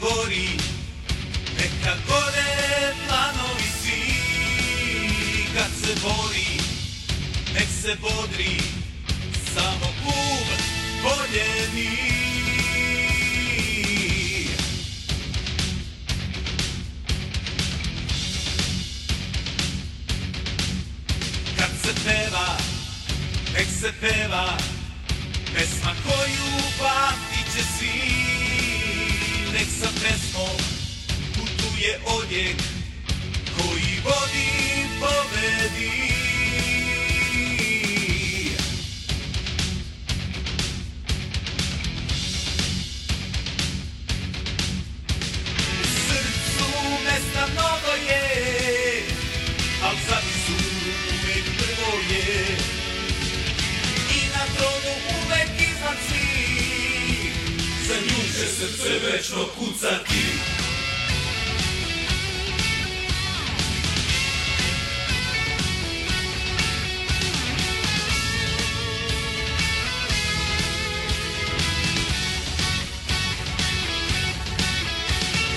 gori, neka gore planovi svi. Kad se bori, nek se bodri, samo klub voljeni. Kad se peva, nek se peva, pesma koju pamtit će svi. Nek sa pesmom putuje odjek koji vodi pobedi. U srcu mesta mnogo je, al zavisu uvek prvo je. I na tronu uvek iznad svih, za nju će srce večno kucati.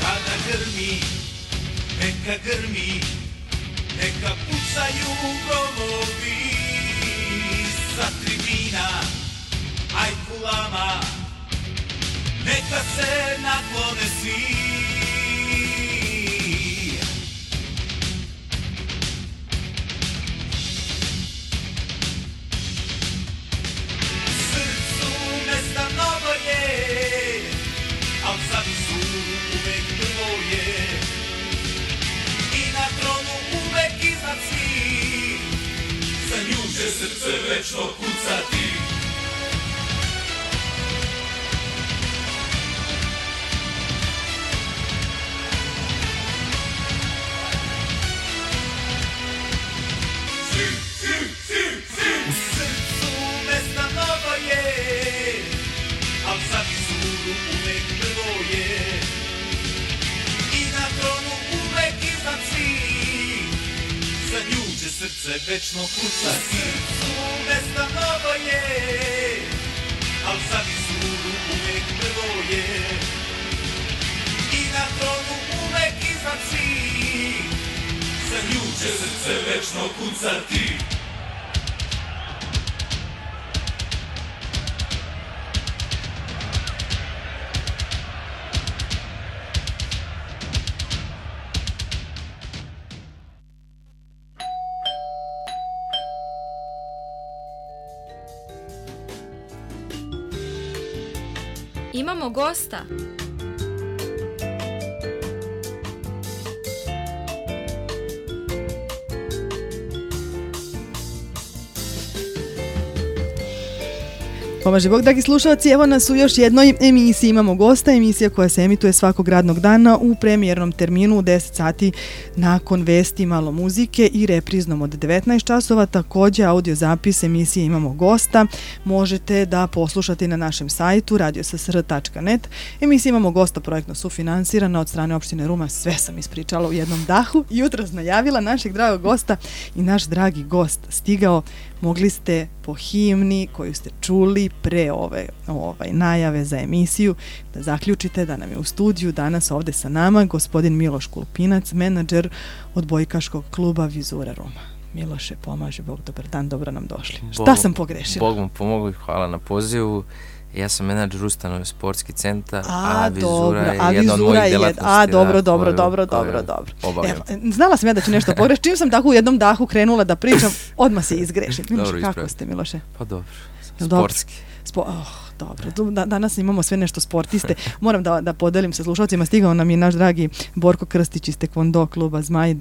Kada grmi, neka grmi, neka pucaju gromovi sa tribina, ajkulama, neka se naklone svi. U srcu mesta mnogo je, al zavisu uvek prvo je. I na tronu uvek iznad svih, za nju će srce večno kucati. Srce večno kucati. Srcu mesta mnogo je, al zavisu uvek prvo je. I na tronu uvek iznad svih, za nju će srce večno kucati. Imamo gosta. Pomaže Bog, dragi slušalci, evo nas u još jednoj emisiji. Imamo gosta, emisija koja se emituje svakog radnog dana u premijernom terminu u 10 sati nakon vesti, malo muzike i repriznom od 19 časova. Također audio zapis emisije Imamo gosta možete da poslušate na našem sajtu radiosasr.net. Emisija Imamo gosta projektno sufinansirana od strane opštine Ruma. Sve sam ispričala u jednom dahu. Jutros najavila našeg dragog gosta i naš dragi gost stigao. Mogli ste po himni koju ste čuli pre ove najave za emisiju da zaključite da nam je u studiju danas ovde sa nama gospodin Miloš Kulpinac, menadžer odbojkaškog kluba Vizura Ruma. Miloše, pomaže Bog, dobar dan, dobro nam došli. Šta sam pogrešila? Bog mu pomogao i hvala na pozivu. Ja sam menadžer ustanove Sportski centar, a Vizura je jedna od mojih delatnosti. Dobro. Znala sam ja da ću nešto pogrešiti. Čim sam tako u jednom dahu krenula da pričam, odmah se izgrešim. Miloše, kako ste, Miloše? Pa dobro, sportski. Dobro, danas imamo sve nešto sportiste. Moram da podelim sa slušalcima. Stigao nam je naš dragi Borko Krstić iz Tekvondo kluba Zmaj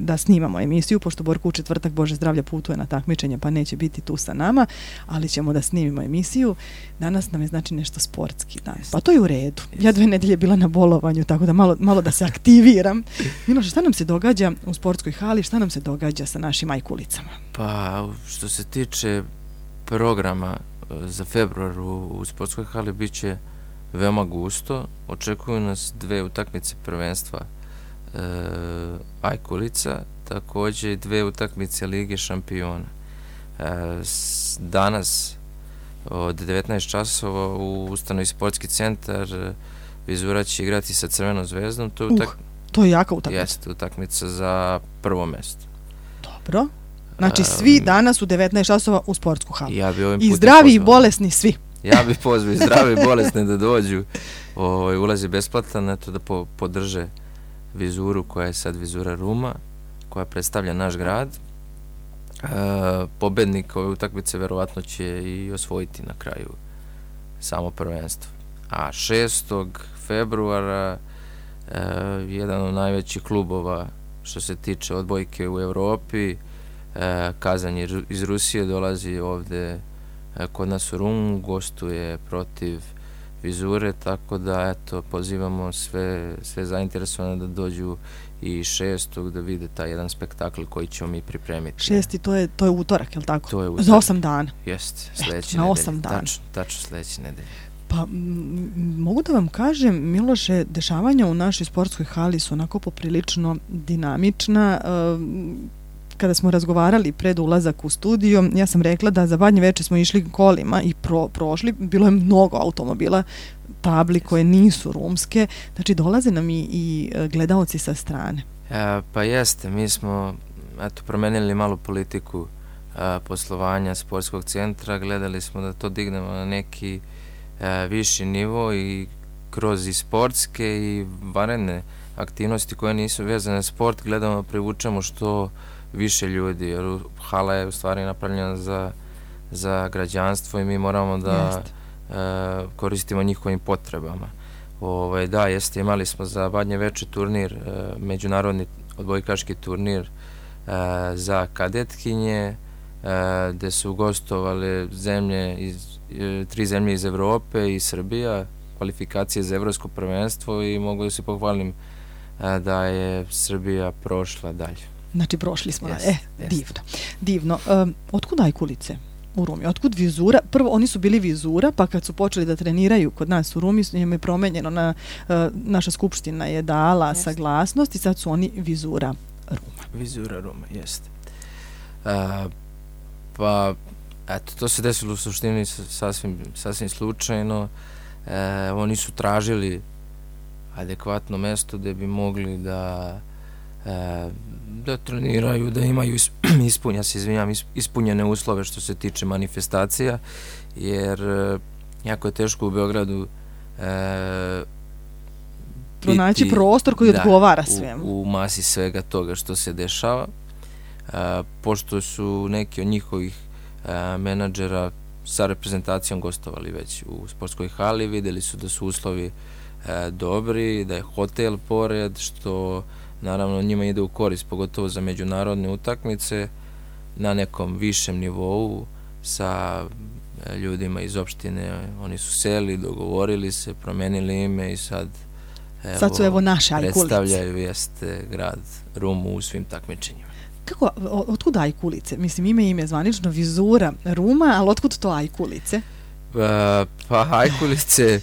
da snimamo emisiju, pošto Borko u četvrtak, Bože zdravlja, putuje na takmičenje pa neće biti tu sa nama, ali ćemo da snimimo emisiju. Danas nam je znači nešto sportski dan. Pa to je u redu. Ja 2 nedelje bila na bolovanju, tako da malo da se aktiviram. Miloš, šta nam se događa u sportskoj hali, šta nam se događa sa našim ajkulicama? Pa što se tiče programa za februar u sportskoj hali bit će veoma gusto. Očekuju nas 2 utakmice prvenstva Ajkulica, također i 2 utakmice Lige šampiona. Danas od 19 časova u ustanovi sportski centar. Vizura će igrati sa Crvenom zvezdom. To je jaka utakmica. Jeste, utakmica za prvo mesto. Dobro. Znači svi danas u 19 časova u sportsku halu. I zdravi i bolesni svi. Ja bih pozvao i zdravi i bolesni da dođu. Ulaz je besplatan, eto da podrže Vizuru koja je sad Vizura Ruma, koja predstavlja naš grad. Pobednik ove utakmice verovatno će i osvojiti na kraju samo prvenstvo. A 6. februara jedan od najvećih klubova što se tiče odbojke u Evropi, Kazan iz Rusije, dolazi ovde kod nas u Rumu, gostuje protiv Vizure, tako da eto pozivamo sve zainteresovane da dođu i 6. da vide taj jedan spektakl koji ćemo mi pripremiti. 6. to je utorak, je li tako? To je utorak. Za 8 dana. Jeste, sledeće nedelje. Na 8 dana. Tačno sledeće nedelje. Pa mogu da vam kažem, Miloše, dešavanja u našoj sportskoj hali su onako poprilično dinamična. Kada smo razgovarali pred ulazak u studio, ja sam rekla da za Badnje veče smo išli kolima i prošli, bilo je mnogo automobila, tabli koje nisu rumske, znači dolaze nam i gledaoci sa strane. Pa jeste, mi smo promenili malo politiku poslovanja sportskog centra, gledali smo da to dignemo na neki viši nivo i kroz i sportske i vanredne aktivnosti koje nisu vezane na sport, gledamo da privučemo što više ljudi, jer hala je u stvari napravljena za građanstvo i mi moramo da koristimo njihovim potrebama. Da, jeste, imali smo za Badnje veče turnir, međunarodni odbojkaški turnir za kadetkinje, gde su gostovali tri zemlje iz Evrope i Srbija, kvalifikacije za evropsko prvenstvo i mogu da se pohvalim da je Srbija prošla dalje. Znači, prošli smo. Divno. Otkud Ajkulice u Rumi? Otkud Vizura? Prvo, oni su bili Vizura, pa kad su počeli da treniraju kod nas u Rumi, njim je promenjeno, naša skupština je dala saglasnost i sad su oni Vizura Ruma. Vizura Ruma, jeste. Pa, eto, to se desilo u suštini sasvim slučajno. Oni su tražili adekvatno mesto gde bi mogli da treniraju, da imaju ispunjene uslove što se tiče manifestacija, jer jako je teško u Beogradu pronaći prostor koji odgovara svemu. U masi svega toga što se dešava. Pošto su neki od njihovih menadžera sa reprezentacijom gostovali već u sportskoj hali, videli su da su uslovi dobri, da je hotel pored, što naravno njima ide u korist, pogotovo za međunarodne utakmice na nekom višem nivou sa ljudima iz opštine. Oni su seli, dogovorili se, promenili ime i sad su naše Ajkulice. Predstavljaju grad Rumu u svim takmičenjima. Kako, otkud Ajkulice? Mislim, ime zvanično Vizura Ruma, ali otkud to Ajkulice? Pa Ajkulice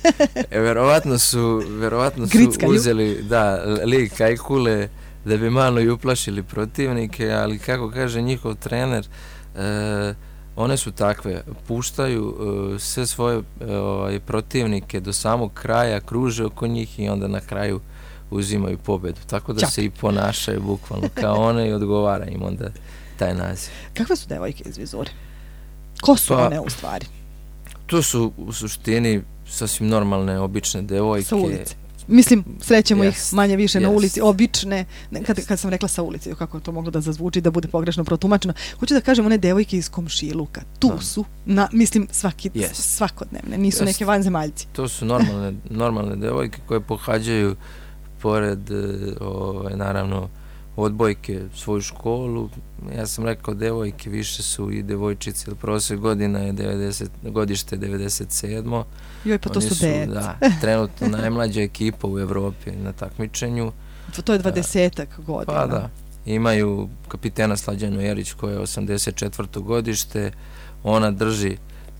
verovatno su uzeli lik Ajkule da bi malo i uplašili protivnike, ali kako kaže njihov trener, one su takve, puštaju sve svoje protivnike do samog kraja, kruže oko njih i onda na kraju uzimaju pobedu, tako da se i ponašaju bukvalno kao one i odgovara im onda taj naziv. Kakve su devojke iz Vizure? Ko su one u stvari? To su u suštini sasvim normalne, obične devojke. Sa ulice. Mislim, srećemo ih manje više na ulici, obične, kad sam rekla sa ulici, kako to moglo da zazvuči, da bude pogrešno protumačeno. Hoću da kažem, one devojke iz komšiluka, tu su, mislim, svakodnevne, nisu neke vanzemaljci. To su normalne devojke koje pohađaju pored, naravno, odbojke svoju školu. Ja sam rekao devojke, više su i devojčice, jer prosjek godina je godište 97. Joj, pa to su deca. Da, trenutno najmlađa ekipa u Evropi na takmičenju. To je 20-ak godina. Pa da, imaju kapitena Slađanu Jerić koja je 84. godište, ona drži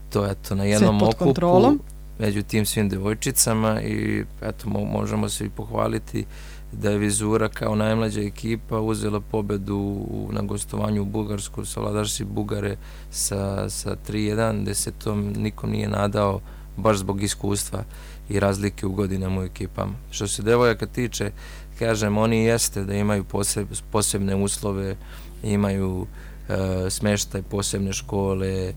to na jednom okupu. među tim svim devojčicama i eto, možemo se i pohvaliti da je Vizura kao najmlađa ekipa uzela pobedu na gostovanju u Bugarsku, savladarši Bugare sa 3-1, gde se to nikom nije nadao baš zbog iskustva i razlike u godinama u ekipama. Što se devojaka tiče, kažem, oni jeste da imaju posebne uslove, imaju smeštaj, posebne škole,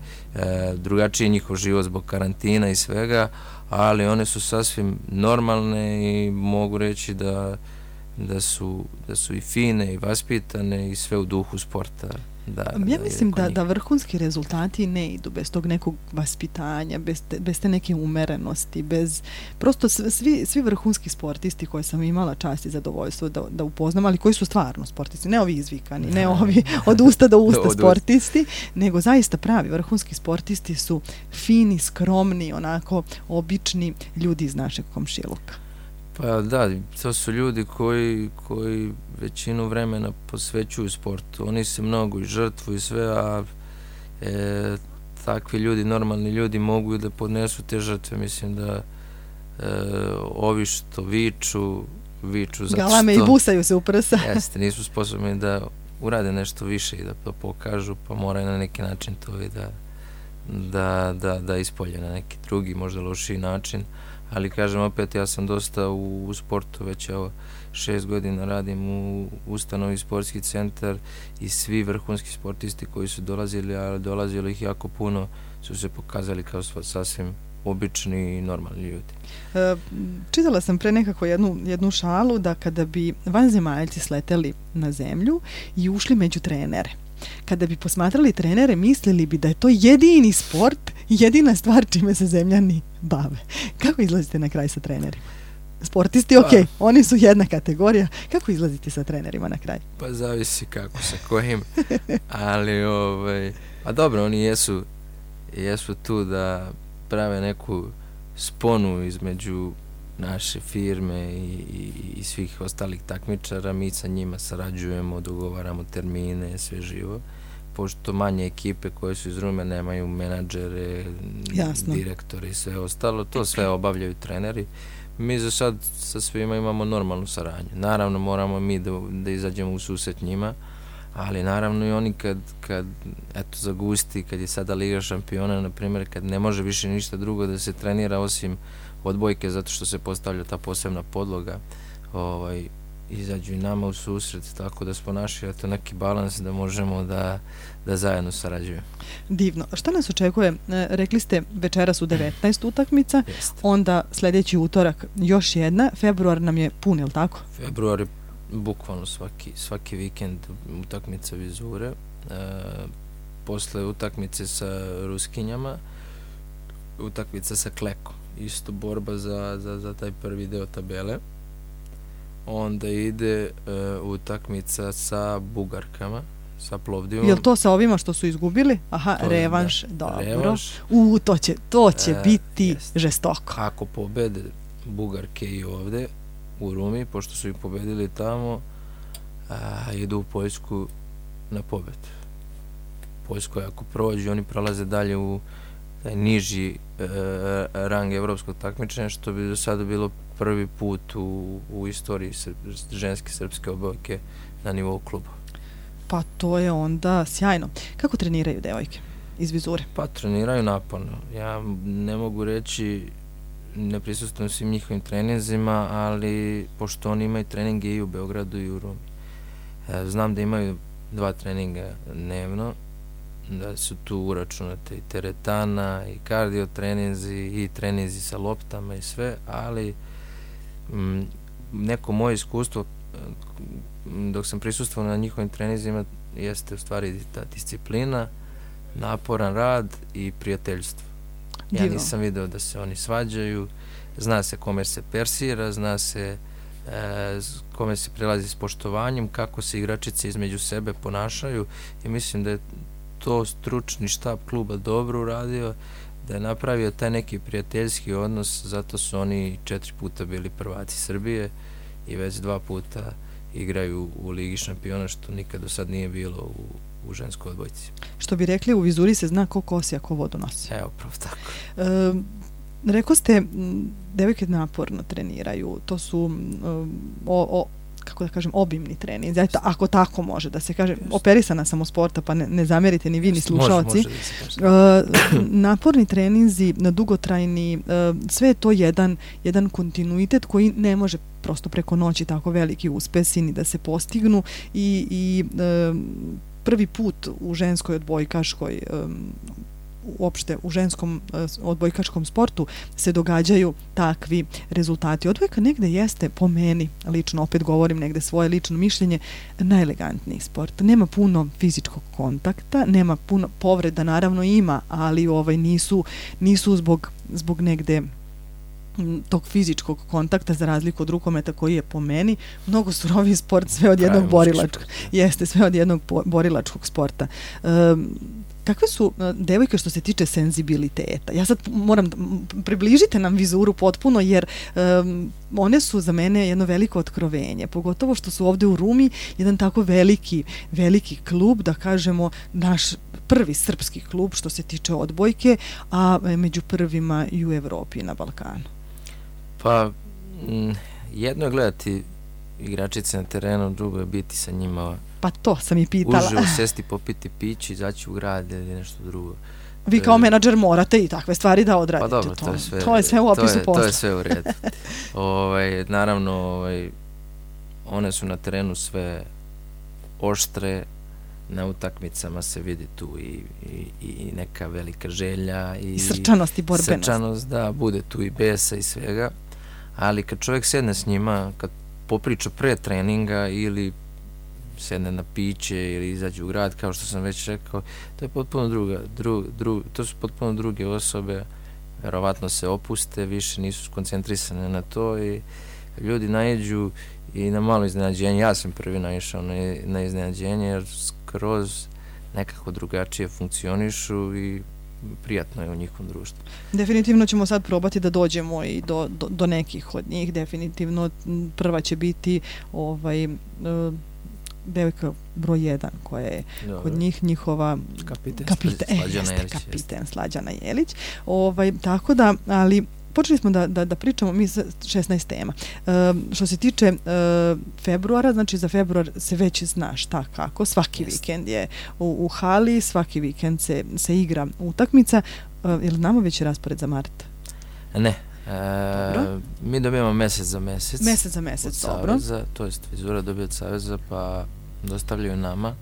drugačiji njihov život zbog karantina i svega, ali one su sasvim normalne i mogu reći da su i fine i vaspitane i sve u duhu sporta. Ja mislim da vrhunski rezultati ne idu bez tog nekog vaspitanja, bez te neke umerenosti, bez prosto svi vrhunski sportisti koje sam imala čast i zadovoljstvo da upoznam, ali koji su stvarno sportisti, ne ovi izvikani, ne ovi od usta do usta sportisti, nego zaista pravi vrhunski sportisti su fini, skromni, onako obični ljudi iz našeg komšiluka. Pa da, to su ljudi koji većinu vremena posvećuju sportu. Oni se mnogo i žrtvuju i sve, a takvi ljudi, normalni ljudi mogu i da podnesu te žrtve. Mislim da ovi što viču zato što... Galame i busaju se u prsa. Jeste, nisu sposobni da urade nešto više i da to pokažu, pa moraju na neki način to i da ispolje na neki drugi, možda lošiji način. Ali kažem opet, ja sam dosta u sportu, već 6 godina radim u ustanovi Sportski centar i svi vrhunski sportisti koji su dolazili, a dolazilo ih jako puno, su se pokazali kao sasvim obični i normalni ljudi. Čitala sam pre nekako jednu šalu da kada bi vanzemaljci sleteli na zemlju i ušli među trenere, kada bi posmatrali trenere, mislili bi da je to jedini sport, jedina stvar čime se zemljani bave. Kako izlazite na kraj sa trenerima? Sportisti, ok, oni su jedna kategorija. Kako izlazite sa trenerima na kraj? Pa zavisi kako, sa kojim. Ali, pa dobro, oni jesu tu da prave neku sponu između naše firme i svih ostalih takmičara. Mi sa njima sarađujemo, dogovaramo termine, sve živo. Pošto manje ekipe koje su iz Rume nemaju menadžere, direktore i sve ostalo, to sve obavljaju treneri. Mi za sad sa svima imamo normalnu saradnju. Naravno moramo mi da izađemo u susret njima, ali naravno i oni kad eto zagusti, kad je sada Liga šampiona, na primjer, kad ne može više ništa drugo da se trenira osim odbojke zato što se postavlja ta posebna podloga, izađu i nama u susret, tako da smo našli neki balans da možemo da zajedno sarađujemo. Divno. Šta nas očekuje? Rekli ste večeras u 19 utakmica, onda sljedeći utorak još jedna, februar nam je pun, je li tako? Februar je bukvalno svaki vikend utakmica Vizure, posle utakmice sa Ruskinjama, utakmica sa Klekom, isto borba za taj prvi deo tabele. Onda ide utakmica sa Bugarkama, sa Plovdivom. Je li to sa ovima što su izgubili? Aha, revanš, dobro. Revanš. To će biti žestoko. Ako pobede Bugarke i ovde u Rumi, pošto su ih pobedili tamo, idu u Poljsku na pobed. Poljskoj ako prođu, oni prolaze dalje u taj niži rang evropskog takmičenja, što bi do sada bilo prvi put u istoriji ženske srpske odbojke na nivou kluba. Pa to je onda sjajno. Kako treniraju devojke iz Vizure? Pa treniraju naporno. Ja ne mogu reći, ne prisustvujem svim njihovim treninzima, ali pošto oni imaju treninge i u Beogradu i u Rumi. Znam da imaju 2 treninga dnevno, da su tu uračunate i teretana i kardio treninzi i treninzi sa loptama i sve, ali neko moje iskustvo dok sam prisustvovao na njihovim treninzima jeste u stvari ta disciplina, naporan rad i prijateljstvo. Ja nisam video da se oni svađaju, zna se kome se persira, zna se kome se prilazi s poštovanjem, kako se igračice između sebe ponašaju i mislim da je to stručni štab kluba dobro uradio, da je napravio taj neki prijateljski odnos, zato su oni 4 puta bili prvaci Srbije i već 2 puta igraju u Ligi šampiona, što nikad do sad nije bilo u ženskoj odbojci. Što bi rekli, u Vizuri se zna ko kosi, a ko vodu nosi. Evo, pravo tako. Rekao ste, devojke naporno treniraju, to su kako da kažem, obimni trening. Ako tako može da se kaže, operisana sam u sporta, pa ne zamerite ni vi ni slušalci. Može da se kaže. Naporni treninzi, dugotrajni, sve je to jedan kontinuitet koji ne može prosto preko noći tako veliki uspesi ni da se postignu i prvi put u ženskoj odbojkaškoj uopšte u ženskom odbojkačkom sportu se događaju takvi rezultati. Odbojka negde jeste, po meni, lično, opet govorim negde svoje lično mišljenje, najelegantniji sport. Nema puno fizičkog kontakta, nema puno povreda, naravno ima, ali nisu zbog negde tog fizičkog kontakta za razliku od rukometa koji je po meni mnogo suroviji sport, sve od jednog borilačkog. Jeste, sve od jednog borilačkog sporta. Kakve su devojke što se tiče senzibiliteta? Ja sad moram, približite nam vizuru potpuno, jer one su za mene jedno veliko otkrovenje, pogotovo što su ovde u Rumi jedan tako veliki klub, da kažemo naš prvi srpski klub što se tiče odbojke, a među prvima i u Evropi i na Balkanu. Pa, jedno je gledati igračice na terenu, drugo je biti sa njima. Pa to sam i pitala. Uživo sesti, popiti pići, izaći u grad ili nešto drugo. Vi kao menadžer morate i takve stvari da odradite. Pa dobro, to je sve u opisu posla. To je sve u redu. Naravno, one su na terenu sve oštre, na utakmicama se vidi tu i neka velika želja i srčanost i borbenost. Srčanost, da, bude tu i besa i svega, ali kad čovjek sedne s njima, kad popriča pre treninga ili sedne na piće ili izađe u grad, kao što sam već rekao, to je potpuno to su potpuno druge osobe, verovatno se opuste, više nisu skoncentrisane na to i ljudi naiđu i na malo iznenađenje. Ja sam prvi naišao na iznenađenje, jer skroz nekako drugačije funkcionišu i prijatno je u njihovom društvu. Definitivno ćemo sad probati da dođemo i do nekih od njih. Definitivno prva će biti devojka broj 1 koja je kod njih njihova kapiten Slađana Jelić. Tako da, ali počeli smo da pričamo mi 16 tema. Što se tiče februara, znači za februar se već zna šta kako. Svaki vikend je u hali, svaki vikend se igra utakmica. Je li znamo već raspored za mart? Ne. Mi dobijamo mesec za mesec. Mesec za mesec, dobro. To jest vizura dobije od Saveza, pa dostavljaju nama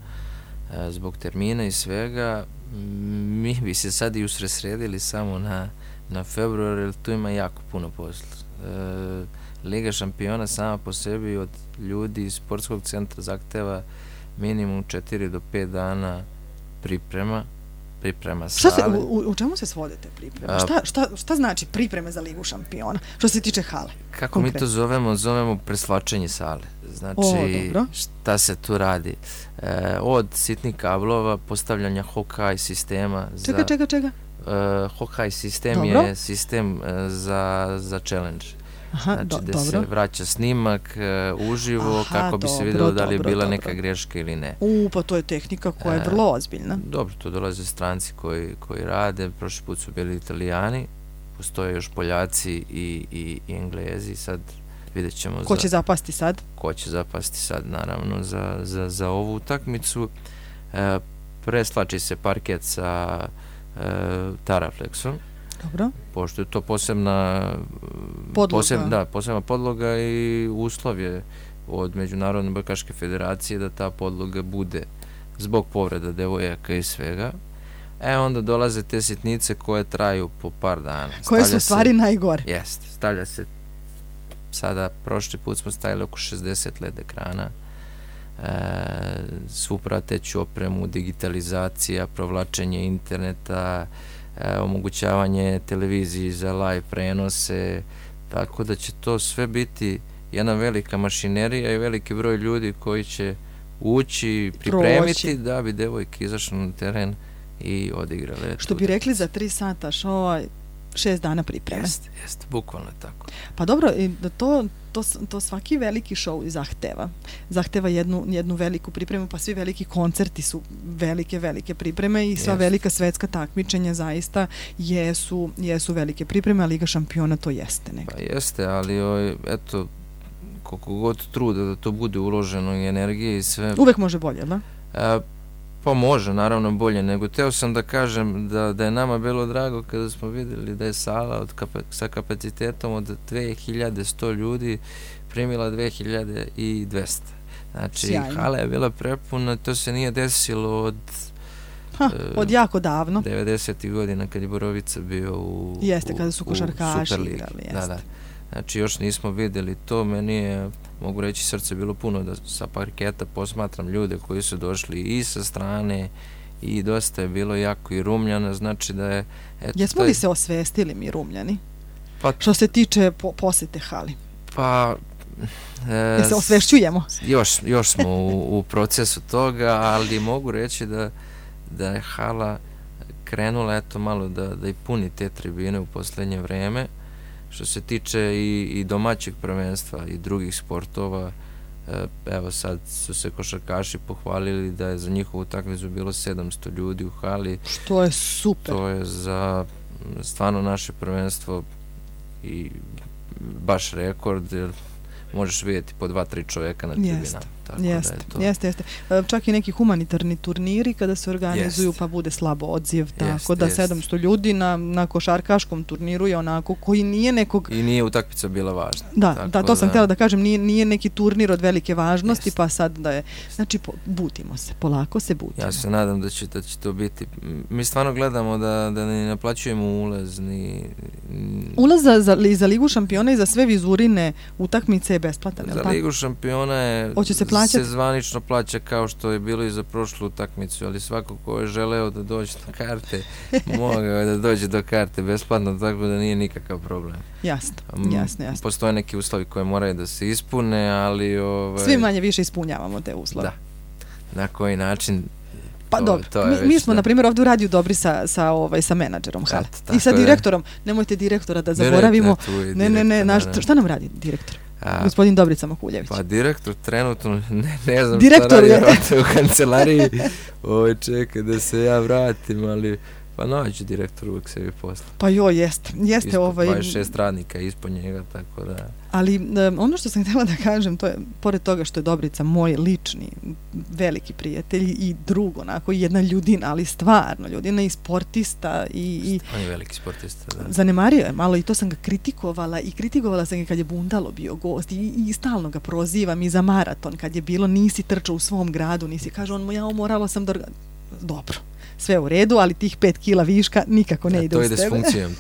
zbog termina i svega. Mi bi se sad i usresredili samo na februar, jer tu ima jako puno posla. Liga šampiona sama po sebi od ljudi iz sportskog centra zahteva minimum 4 do 5 dana priprema sale. U čemu se svode te pripreme? Šta znači pripreme za Ligu šampiona? Što se tiče hale? Kako mi to zovemo preslačenje sale. Znači, šta se tu radi? Od sitnih kablova, postavljanja Hawkeye sistema. Čega? Hawkeye sistem je sistem za challenge. Znači, gde se vraća snimak uživo kako bi se vidjelo da li je bila neka greška ili ne. Pa to je tehnika koja je vrlo ozbiljna. Dobro, to dolaze stranci koji rade. Prošli put su bili Italijani, postoje još Poljaci i Englezi. Sad vidjet ćemo ko će zapasti sad. Ko će zapasti sad, naravno, za ovu utakmicu. Preslači se parket sa Taraflexom. Dobro. Pošto je to posebna podloga i uslov je od Međunarodne odbojkaške federacije da ta podloga bude zbog povreda devojaka i svega. Onda dolaze te sitnice koje traju po par dana. Koje su stvari najgore. Jeste. Stavlja se, sada prošli put smo stavili oko 60 LED ekrana, svu prateću opremu, digitalizacija, provlačenje interneta, omogućavanje televiziji za live prenose, tako da će to sve biti jedna velika mašinerija i veliki broj ljudi koji će ući, pripremiti da bi devojke izašle na teren i odigrale. Što bi rekli za 3 sata šova, 6 dana pripreme. Jeste, bukvalno je tako. Pa dobro, to svaki veliki show zahteva jednu veliku pripremu, pa svi veliki koncerti su velike pripreme i sva velika svetska takmičenja zaista jesu velike pripreme, a Liga šampiona to jeste nekako. Pa jeste, ali eto, koliko god truda da to bude uloženo i energije i sve... Uvek može bolje, da? Pa može, naravno bolje, nego teo sam da kažem da je nama bilo drago kada smo vidjeli da je sala sa kapacitetom od 2100 ljudi primila 2200. Znači, sjajno. Hala je bila prepuna, to se nije desilo od jako davno. 90. godina kad je Borovica bio u jeste, kada su košarkaši igrali. Da. Znači, još nismo vidjeli to, meni je, mogu reći, srce bilo puno da sa parketa posmatram ljude koji su došli i sa strane i dosta je bilo jako i Rumljana, znači da je... Jesmo li se osvestili mi Rumljani? Što se tiče posete hali? Pa... se osvešćujemo? Još smo u procesu toga, ali mogu reći da je hala krenula malo da i puni te tribine u posljednje vreme. Što se tiče i domaćeg prvenstva i drugih sportova, evo sad su se košarkaši pohvalili da je za njihovu utakmicu bilo 700 ljudi u hali. Što je super. To je za stvarno naše prvenstvo i baš rekord, jer možeš vidjeti po 2-3 čovjeka na tribinama. Jeste. Čak i neki humanitarni turniri kada se organizuju pa bude slabo odziv, tako da 700 ljudi na košarkaškom turniru je onako koji nije nekog... I nije utakmica bila važna. Da, to sam htjela da kažem, nije neki turnir od velike važnosti, pa sad da je... Znači, budimo se, polako se budimo. Ja se nadam da će to biti... Mi stvarno gledamo da ne naplaćujemo ulaz, Ulaz za Ligu šampiona i za sve vizurine utakmice je besplatan, je li tako? Za Ligu šampiona je... Hoće se plaćati? Se zvanično plaća kao što je bilo i za prošlu utakmicu, ali svako ko je želeo da dođe do karte, mogao je da dođe do karte besplatno, tako da nije nikakav problem. Jasno. Postoje neki uslovi koje moraju da se ispune, ali... Svi manje više ispunjavamo te uslove. Da. Na koji način... Pa dobro, mi smo, na primjer, ovdje u radiju dobri sa menadžerom hale. I sa direktorom. Nemojte direktora da zaboravimo. Ne, šta nam radi direktor? Gospodin Dobrica Makuljević. Pa direktor trenutno, ne znam šta radi u kancelariji. Čekaj da se ja vratim, ali pa naći direktor uvijek sebi posla. Pa jeste. 26 radnika ispod njega, tako da... Ali ono što sam htjela da kažem, to je, pored toga što je Dobrica moj lični veliki prijatelj i drug, onako jedna ljudina, ali stvarno ljudina i sportista i on je veliki sportista, da. Zanemario je malo i to sam ga kritikovala sam ga kad je Bundalo bio gost i stalno ga prozivam i za maraton kad je bilo, nisi trčao u svom gradu, kaže on, morala sam da... Dobro. Sve u redu, ali tih 5 kila viška nikako ne ide uz tebe. To ide s funkcijom.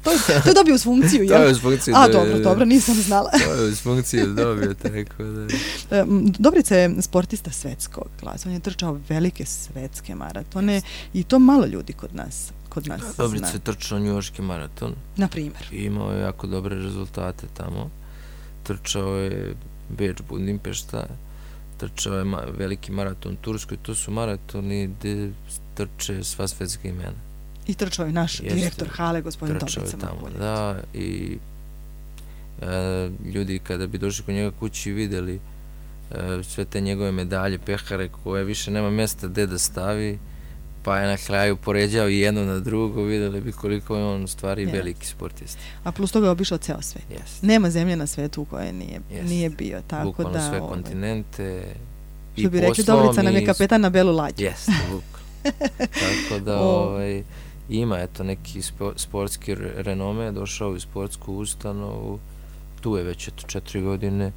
To je dobio uz funkciju, jel? To je uz funkciju. Dobro, nisam znala. To je uz funkciju dobio, tako da... Dobrica je sportista svetskog klasa, on je trčao velike svetske maratone i to malo ljudi kod nas Dobrica je trčao njujorški maraton. Na primjer. I imao je jako dobre rezultate tamo. Trčao je Beč, Budimpešta, trčao je veliki maraton u Turskoj, to su maratoni gdje trče sva svetska imena. I trčao je naš direktor hale, gospodin Dobrica Makuljević. Trčao je tamo, da, i ljudi kada bi došli kod njega kući i vidjeli sve te njegove medalje, pehare koje više nema mjesta gdje da stavi, pa je na kraju poređao i jedno na drugo, vidjeli bi koliko je on stvari veliki sportista. A plus toga je obišao ceo svet. Nema zemlje na svetu u kojoj nije bio. Tako bukvalno da, sve kontinente i što bi rekli, Dobrica nam je kapetan na belu lađu. Jeste, bukvalno. Tako da ima neki sportski renome, došao u sportsku ustanovu, tu je već 4 godine,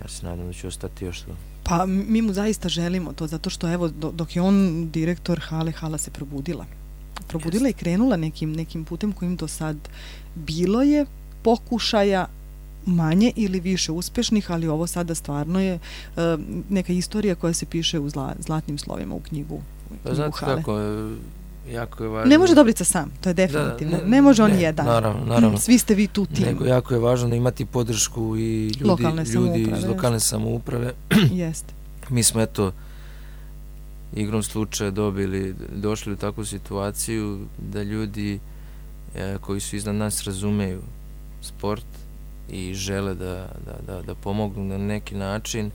ja se nadam da će ostati još to. Pa mi mu zaista želimo to, zato što evo, dok je on direktor hale, hala se probudila. Probudila i krenula nekim putem kojim do sad bilo je pokušaja manje ili više uspešnih, ali ovo sada stvarno je neka istorija koja se piše u zlatnim slovima u knjigu Pa znate hale. kako, jako je važno... Ne može Dobrica sam, to je definitivno. Ne može on jedan. Naravno. Svi ste vi tu tim. Nego jako je važno da imati podršku i ljudi iz lokalne samouprave. Jeste. Mi smo igrom slučaja došli u takvu situaciju da ljudi koji su iznad nas razumeju sport i žele da pomognu na neki način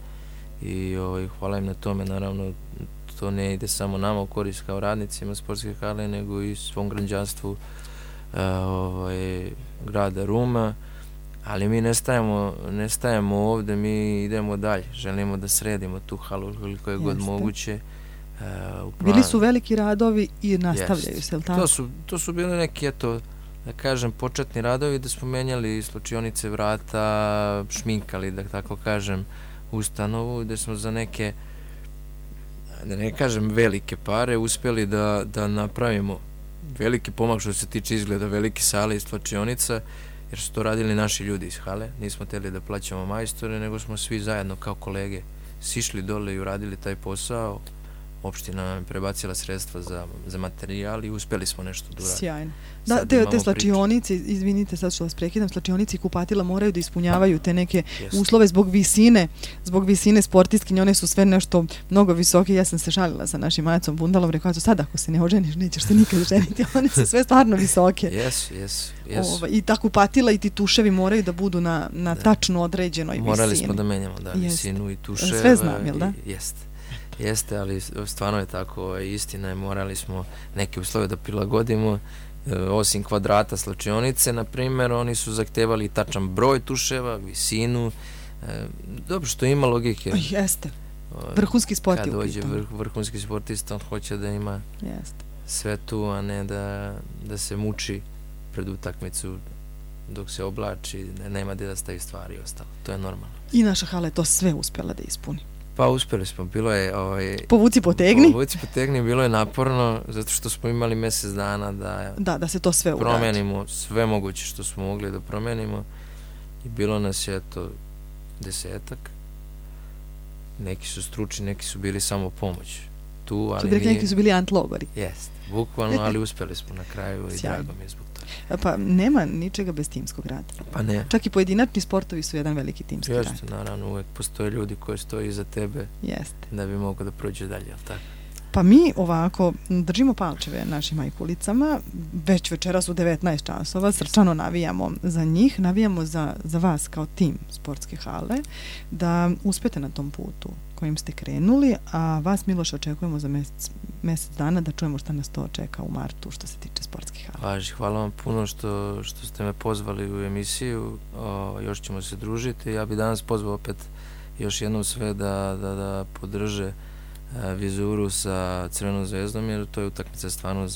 i hvala im na tome. Naravno, to ne ide samo nama u korist kao radnicima sportske hale, nego i svom građanstvu grada Ruma, ali mi ne stajemo ovde, mi idemo dalje, želimo da sredimo tu halu koliko je god moguće. Bili su veliki radovi i nastavljaju se, je li tako? To su bili neki, da kažem, početni radovi, da smo menjali slučionice vrata, šminkali, da tako kažem, ustanovu, da smo za neke, da ne kažem velike pare, uspjeli da napravimo veliki pomak što se tiče izgleda velike sale i slučionica, jer su to radili naši ljudi iz hale. Nismo htjeli da plaćamo majstore, nego smo svi zajedno kao kolege sišli dole i uradili taj posao. Opština nam je prebacila sredstva za materijal i uspjeli smo nešto da uradimo. Sjajno. Da, te slačionice, izvinite sad što vas prekidam, slačionice i kupatila moraju da ispunjavaju te neke uslove zbog visine sportistkinje, one su sve nešto mnogo visoke. Ja sam se šalila sa našim Majacom Bundalom, rekao, sad ako se ne oženiš, nećeš se nikad ženiti, one su sve stvarno visoke. Jesu. I ta kupatila i ti tuševi moraju da budu na tačno određenoj visini. Morali smo da menjamo, visinu i tuševa. Sve znam, jel da? Jeste, ali stvarno je tako, istina je, morali smo neke uslove da prilagodimo, osim kvadrata slačionice, na primjer, oni su zahtevali tačan broj tuševa, visinu, dobro što ima logike. Jeste, vrhunski sport je u pitanju. Kad dođe vrhunski sportista, on hoće da ima sve tu, a ne da se muči pred utakmicu dok se oblači, nema gdje da stavi stvari i ostalo, to je normalno. I naša hala je to sve uspjela da ispuni. Pa uspjeli smo, bilo je... Povuci potegni, bilo je naporno, zato što smo imali mjesec dana da se to sve promenimo, sve moguće što smo mogli da promenimo i bilo nas je 10-ak. Neki su stručni, neki su bili samo pomoć. Neki su bili antlogori. Jest, bukvalno, ali uspjeli smo na kraju i drago mi je zbog toga. Pa nema ničega bez timskog rada. Pa ne. Čak i pojedinačni sportovi su jedan veliki timski rad. Jeste, naravno, uvek postoje ljudi koji stoji iza tebe da bi mogao da prođe dalje, jel tako? Pa mi ovako držimo palčeve našim majkulicama, već večeras u 19 časova, srčano navijamo za njih, navijamo za vas kao tim sportske hale, da uspete na tom putu kojim ste krenuli, a vas, Miloš, očekujemo za mjesec dana da čujemo šta nas to čeka u martu što se tiče sportskih hala. Hvala vam puno što ste me pozvali u emisiju, još ćemo se družiti. Ja bih danas pozvao opet još jednom sve da podrže Vizuru sa Crvenom zvezdom, jer to je utakmica stvarno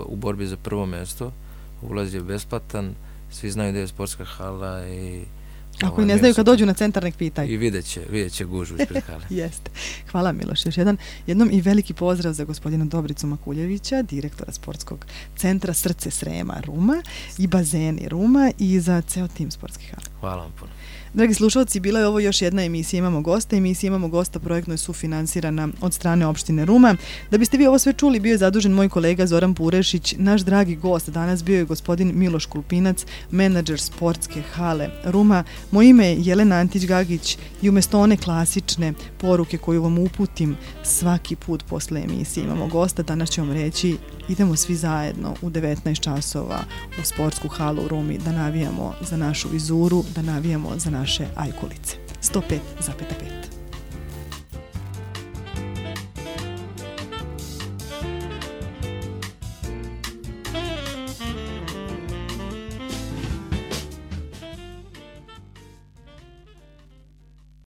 u borbi za prvo mjesto. Ulaz je besplatan, svi znaju da je sportska hala i ako i ne znaju, kad dođu na centar, nek pitaju. I vidjet će gužu ispred hale. Jeste. Hvala, Miloš. Još jednom i veliki pozdrav za gospodina Dobricu Makuljevića, direktora sportskog centra Srce Srema Ruma i bazeni Ruma i za ceo tim sportskih hala. Hvala vam puno. Dragi slušalci, bila je ovo još jedna emisija Imamo gosta. Emisija Imamo gosta projektno je sufinansirana od strane opštine Ruma. Da biste vi ovo sve čuli, bio je zadužen moj kolega Zoran Purešić. Naš dragi gost danas bio je gospodin Miloš Kulpinac, menadžer sportske hale Ruma. Moje ime je Jelena Antić-Gagić i umjesto one klasične poruke koju vam uputim svaki put posle emisije Imamo gosta, danas ću vam reći idemo svi zajedno u 19 časova u sportsku halu u Rumi da navijamo za našu Vizuru, da navijamo za naše ajkulice. 105,5.